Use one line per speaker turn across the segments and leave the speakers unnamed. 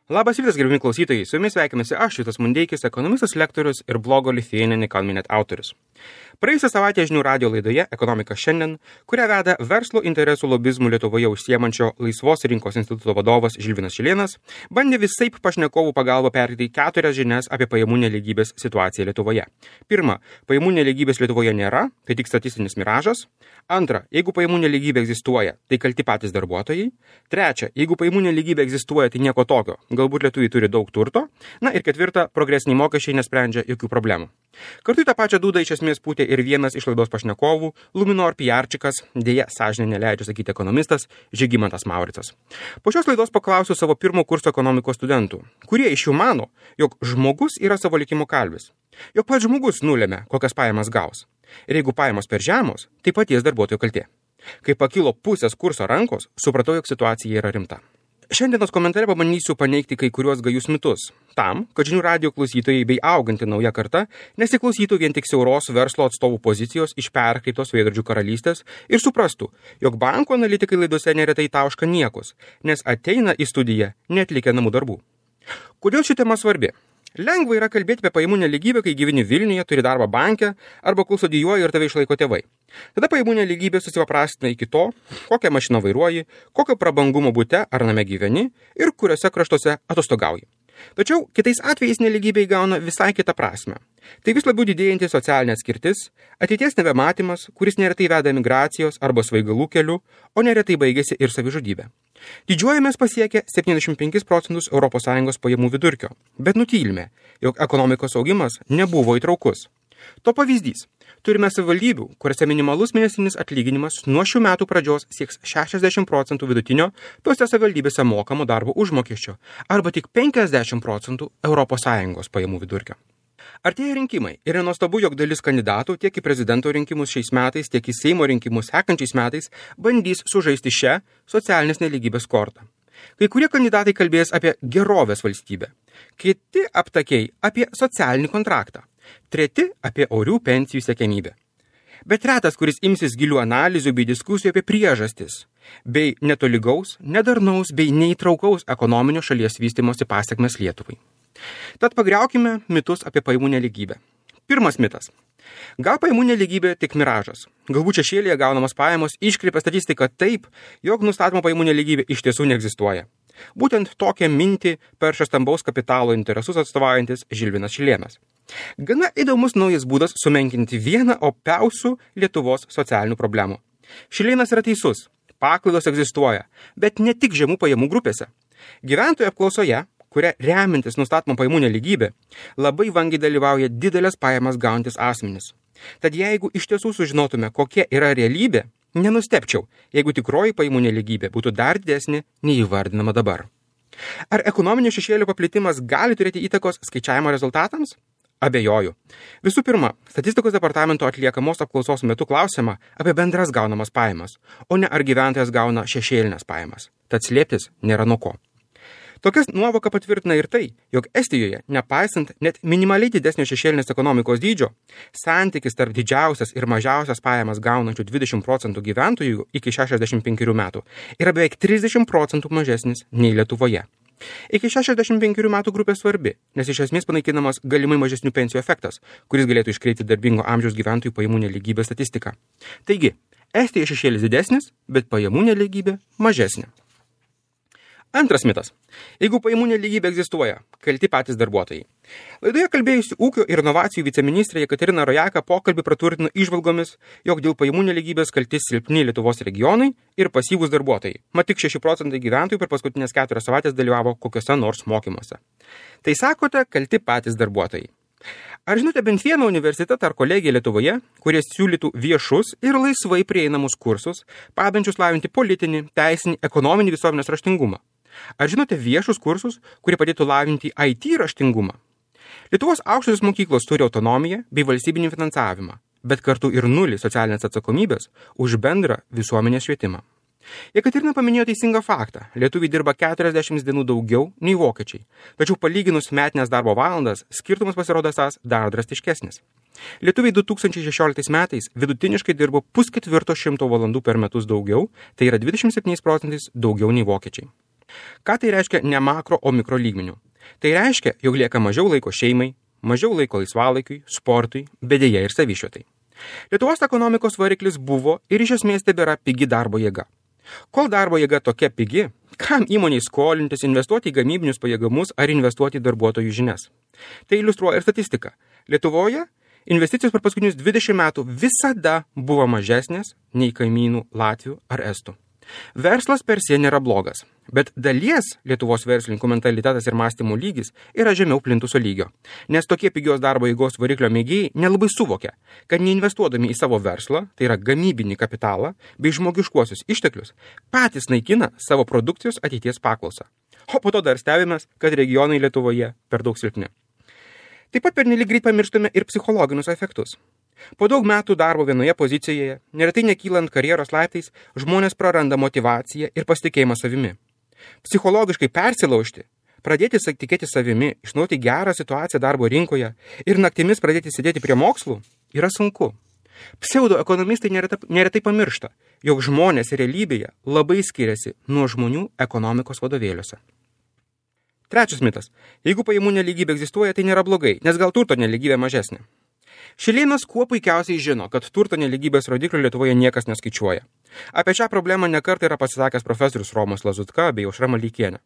Labas rytas, gerbimi klausytojai, su jumis sveikinasi aš, Vytas Mundeikis, ekonomistas, lektorius ir blogo Lithuanian Economy Net autorius. Praėjusią savaitę žinių radio laidoje Ekonomika šiandien, kurią veda verslo interesų lobizmų Lietuvoje užsiemančio Laisvos rinkos instituto vadovas Žilvinas Šilėnas, bandė visaip pašnekovų pagalba perteikti 4 žinias apie pajamų nelygybės situaciją Lietuvoje. Pirma, pajamų nelygybės Lietuvoje nėra, tai tik statistinis miražas. Antra, jeigu pajamų nelygybė egzistuoja, tai kalti patys darbuotojai. Trečia, jeigu pajamų nelygybė egzistuoja, tai nieko tokio, galbūt lietuviai turi daug turto. Na ir ketvirta, progresiniai mokesčiai nesprendžia jokių problemų. Kartu į tą pačią dūdą iš esmės pūtė ir vienas iš laidos pašnekovų, Luminor PR-čikas, dėja sąžinė neleidžia sakyti ekonomistas, Žygimantas Mauricas. Po šios laidos paklausiu savo pirmo kurso ekonomikos studentų, kurie iš jų mano, jog žmogus yra savo likimo kalvis, jog pats žmogus nulėmė, kokias pajamas gaus. Ir jeigu pajamos per žemos, tai paties darbuotojo kaltė. Kai pakilo pusės kurso rankos, supratau, jog situacija yra rimta. Šiandienos komentare pabandysiu paneigti kai kuriuos gajus mitus, tam, kad žinių radio klausytojai bei auganti nauja karta nesiklausytų vien tik siauros verslo atstovų pozicijos iš perkreiptos veidrodžių karalystės ir suprastų, jog banko analitikai laidose neretai tauška niekus, nes ateina į studiją neatlikę namų darbų. Kodėl ši tema svarbi? Lengva yra kalbėti apie pajamų nelygybę, kai gyveni Vilniuje, turi darbą banke arba kol studijuoji ir tave išlaiko tėvai. Tada pajamų nelygybė susipaprastina iki to, kokią mašiną vairuoji, kokio prabangumo bute ar name gyveni ir kuriuose kraštuose atostogauji. Tačiau kitais atvejais nelygybė įgauna visai kitą prasme. Tai vis labiau didėjanti socialinė atskirtis, ateities nebematymas, kuris neretai veda migracijos arba svaigalų keliu, o neretai baigėsi ir savižudybė. Didžiuojamės pasiekę 75% ES pajamų vidurkio, bet nutylime, jog ekonomikos augimas nebuvo įtraukus. To pavyzdys. Turime savivaldybių, kuriuose minimalus mėnesinis atlyginimas nuo šių metų pradžios sieks 60% vidutinio tose savivaldybėse mokamo darbo užmokesčio arba tik 50% ES pajamų vidurkio. Artėja rinkimai ir nenuostabu, jog dalis kandidatų tiek į prezidento rinkimus šiais metais, tiek į Seimo rinkimus sekančiais metais bandys sužaisti šią socialinės nelygybės kortą. Kai kurie kandidatai kalbės apie gerovės valstybę, kiti aptakiai apie socialinį kontraktą, treti apie orių pensijų siekiamybę. Bet retas, kuris imsis gilių analizių bei diskusijų apie priežastis, bei netolygaus, nedarnaus bei neįtraukaus ekonominio šalies vystymosi pasekmes Lietuvai. Tad pagriaukime mitus apie pajamų nelygybę. Pirmas mitas. Gal pajamų nelygybė tik miražas. Galbūt šešėlyje gaunamas pajamos iškreipia statistiką taip, jog nustatoma pajamų nelygybė iš tiesų neegzistuoja. Būtent tokią mintį perša stambaus kapitalo interesus atstovaujantis Žilvinas Šilėnas. Gana įdomus naujas būdas sumenkinti vieną opiausių Lietuvos socialinių problemų. Šilėnas yra teisus. Paklaidos egzistuoja, bet ne tik žemų pajamų grupėse. Gyventojų apklausoje, kuria remintis nustatoma pajamų nelygybė, labai vangiai dalyvauja didelės pajamas gaunantis asmenys. Tad jeigu iš tiesų sužinotume, kokia yra realybė, nenustepčiau, jeigu tikroji pajamų nelygybė būtų dar didesnė nei įvardinama dabar. Ar ekonominio šešėlio paplitimas gali turėti įtakos skaičiavimo rezultatams? Abejoju. Visų pirma, statistikos departamento atliekamos apklausos metu klausiama apie bendras gaunamas pajamas, o ne ar gyventojas gauna šešėlinės pajamas. Tad slėptis nėra nuo ko. Tokias nuovoką patvirtina ir tai, jog Estijoje, nepaisant net minimaliai didesnio šešėlinės ekonomikos dydžio, santykis tarp didžiausias ir mažiausias pajamas gaunančių 20% gyventojų iki 65 metų yra beveik 30% mažesnis nei Lietuvoje. Iki 65 metų grupė svarbi, nes iš esmės panaikinamas galimai mažesnių pensijų efektas, kuris galėtų iškreipti darbingo amžiaus gyventojų pajamų nelygybės statistiką. Taigi, Estijoje šešėlis didesnis, bet pajamų nelygybė mažesnė. Antras mitas. Jeigu pajamų nelygybė egzistuoja, kalti patys darbuotojai. Laidoje kalbėjusi ūkio ir inovacijų viceministrė Jekaterina Rojaka pokalbį praturtino įžvalgomis, jog dėl pajamų nelygybės kalti silpni Lietuvos regionai ir pasyvūs darbuotojai. Mat tik 6% gyventojų per paskutinės 4 savaitės dalyvavo kokiuose nors mokymuose. Tai sakote, kalti patys darbuotojai. Ar žinote bent vieną universitetą ar kolegiją Lietuvoje, kurie siūlytų viešus ir laisvai prieinamus kursus, padedančius lavinti politinį, teisinį, ekonominį visuomenės raštingumą? Ar žinote viešus kursus, kurie padėtų lavinti IT raštingumą? Lietuvos aukštosios mokyklos turi autonomiją bei valstybinį finansavimą, bet kartu ir nulį socialinės atsakomybės už bendrą visuomenės švietimą. Jekaterina paminėjo teisingą faktą. Lietuviai dirba 40 dienų daugiau nei vokiečiai. Tačiau palyginus metinės darbo valandas, skirtumas pasirodo esąs dar drastiškesnis. Lietuviai 2016 metais vidutiniškai dirbo 3/4 valandų per metus daugiau, tai yra 27% daugiau nei vokiečiai. Ką tai reiškia ne makro, o mikro lygmenių? Tai reiškia, jog lieka mažiau laiko šeimai, mažiau laiko laisvalaikiui, sportui, bedėje ir savišvietai. Lietuvos ekonomikos variklis buvo ir iš esmės tebėra pigi darbo jėga. Kol darbo jėga tokia pigi, kam įmoniai skolintis, investuoti į gamybinius pajėgumus ar investuoti į darbuotojų žinias? Tai iliustruoja ir statistika. Lietuvoje investicijos per paskutinius 20 metų visada buvo mažesnės nei kaimynų Latvių ar Estų. Verslas per sie nėra blogas, bet dalies Lietuvos verslininkų mentalitetas ir mąstymo lygis yra žemiau plintuso lygio, nes tokie pigios darbo jėgos variklio mėgėjai nelabai suvokia, kad neinvestuodami į savo verslą, tai yra gamybinį kapitalą bei žmogiškuosius išteklius, patys naikina savo produkcijos ateities paklausą. O po to dar stebimės, kad regionai Lietuvoje per daug silpni. Taip pat pernelyg greit pamirštame ir psichologinius efektus. Po daug metų darbo vienoje pozicijoje, neretai nekylant karjeros laiptais, žmonės praranda motyvaciją ir pasitikėjimą savimi. Psichologiškai persilaužti, pradėti tikėti savimi, išnaudoti gerą situaciją darbo rinkoje ir naktimis pradėti sėdėti prie mokslų yra sunku. Pseudoekonomistai neretai pamiršta, jog žmonės realybėje labai skiriasi nuo žmonių ekonomikos vadovėliuose. Trečias mitas. Jeigu pajamų nelygybė egzistuoja, tai nėra blogai, nes gal turto nelygybė mažesnė. Šilėnas kuo puikiausiai žino, kad turto nelygybės rodiklių Lietuvoje niekas neskaičiuoja. Apie šią problemą nekartą yra pasisakęs profesorius Romas Lazutka bei Aušra Maldeikienė.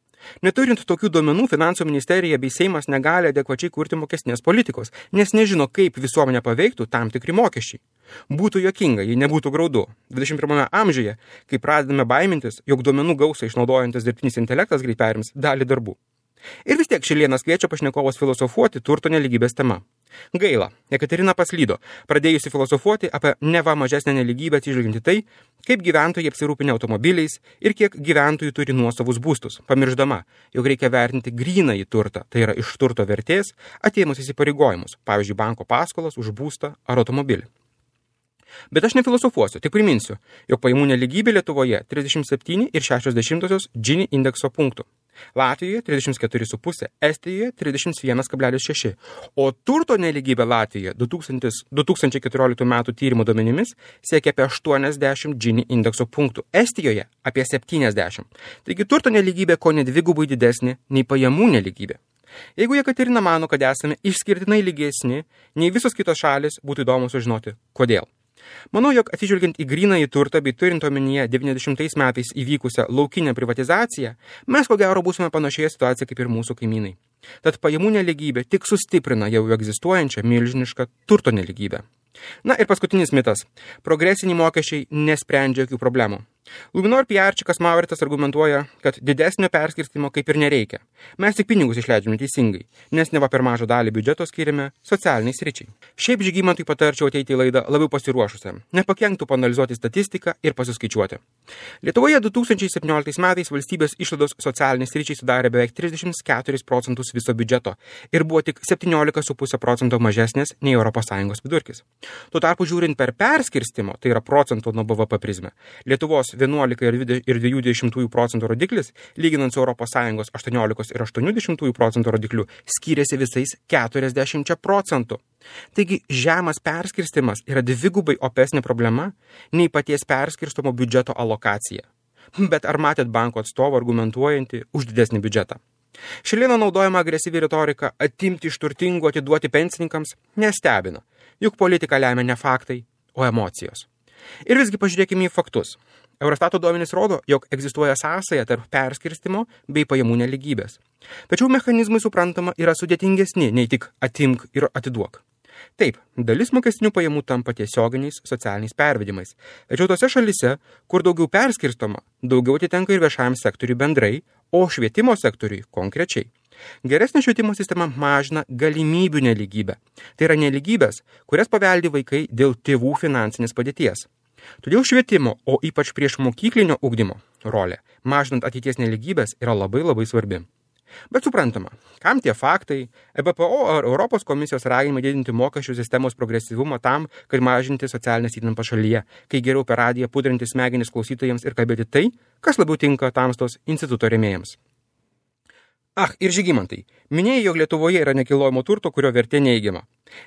Neturint tokių duomenų, Finansų ministerija bei Seimas negali adekvačiai kurti mokestinės politikos, nes nežino, kaip visuomenę paveiktų tam tikri mokesčiai. Būtų juokinga, jei nebūtų graudu. 21 amžiuje, kai pradedame baimintis, jog duomenų gausą išnaudojantis dirbtinis intelektas greit perims dalį darbų. Ir vis tiek Šilėnas kviečia pašnekovas filosofuoti turto nelygybės tema. Gaila, Jekaterina paslydo, pradėjusi filosofuoti apie neva mažesnę nelygybę atsižvelgiant į tai, kaip gyventojai apsirūpinę automobiliais ir kiek gyventojų turi nuosavus būstus, pamiršdama, jog reikia vertinti grynąjį turtą, tai yra iš turto vertės atėmus įsipareigojimus, pavyzdžiui, banko paskolas už būstą ar automobilį. Bet aš nefilosofuosiu, tik priminsiu, jog pajamų nelygybė Lietuvoje 37,6 Gini indekso punktų. Latvijoje 34,5, Estijoje 31,6, o turto nelygybė Latvijoje 2014 metų tyrimo duomenimis siekia apie 80 Gini indekso punktų, Estijoje apie 70. Taigi turto nelygybė ko ne dvigubai didesnė nei pajamų nelygybė. Jeigu Jekaterina mano, kad esame išskirtinai lygesni nei visos kitos šalis, būtų įdomu sužinoti, kodėl. Manau, jog atsižvelgiant į grynąjį turtą bei turint omenyje 90 metais įvykusią laukinę privatizaciją, mes ko gero būsime panašioje situacijoje kaip ir mūsų kaimynai. Tad pajamų nelygybė tik sustiprina jau egzistuojančią milžinišką turto nelygybę. Na ir paskutinis mitas. Progresiniai mokesčiai nesprendžia jokių problemų. Luminor PR-čikas Mauritas argumentuoja, kad didesnio perskirstimo kaip ir nereikia. Mes tik pinigus išleidžiame teisingai, nes neva per mažą dalį biudžeto skiriame socialiniai sričiai. Šiaip Žygimantui patarčiau ateiti į laidą labiau pasiruošusiam, nepakenktų paanalizuoti statistiką ir pasiskaičiuoti. Lietuvoje 2017 metais valstybės išlaidos socialiniai sričiai sudarė beveik 34% viso biudžeto ir buvo tik 17,5% mažesnės nei ES vidurkis. Tuo tarpu žiūrint per perskirstimo, tai yra procento nuo BVP prizmę, Lietuvos 11,2% rodiklis, lyginant su ES 18,8% rodikliu, skiriasi visais 40%. Taigi žemas perskirstimas yra dvigubai opesnė problema nei paties perskirstomo biudžeto alokacija. Bet ar matėt banko atstovą argumentuojantį už didesnį biudžetą? Šilėno naudojama agresyvi retorika atimti iš turtingų atiduoti pensininkams nestebina, juk politika lemia ne faktai, o emocijos. Ir visgi pažiūrėkime į faktus. Eurostato duomenys rodo, jog egzistuoja sąsaja tarp perskirstimo bei pajamų nelygybės. Tačiau mechanizmai, suprantama, yra sudėtingesni nei tik atimk ir atiduok. Taip, dalis mokestinių pajamų tampa tiesioginiais socialiniais pervedimais. Tačiau tose šalise, kur daugiau perskirstoma, daugiau atitenka ir viešajam sektoriui bendrai, o švietimo sektoriui konkrečiai. Geresnė švietimo sistema mažina galimybių nelygybę. Tai yra nelygybės, kurias paveldi vaikai dėl tėvų finansinės padėties. Todėl švietimo, o ypač prieš mokyklinio ugdymo rolė, mažinant ateities nelygybės, yra labai svarbi. Bet suprantama, kam tie faktai, EBPO ar Europos komisijos raginimai didinti mokesčių sistemos progresyvumą tam, kad mažinti socialinės įtampą šalyje, kai geriau per radiją pudrinti smegenis klausytojams ir kalbėti tai, kas labiau tinka Tamstos instituto rėmėjams. Ir Žygimantai, minėjai, jog Lietuvoje yra nekilnojamo turto, kurio vertė neigiama.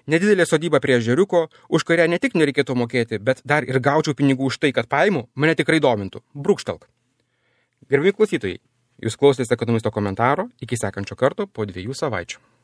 Nedidelė sodyba prie ežeriuko, už kurią ne tik nereikėtų mokėti, bet dar ir gaučiau pinigų už tai, kad paimu, mane tikrai domintų. Brūkštelk. Gerbimi klausytojai, Jūs klausėtės ekonomisto komentaro. Iki sekančio karto po 2 savaičių.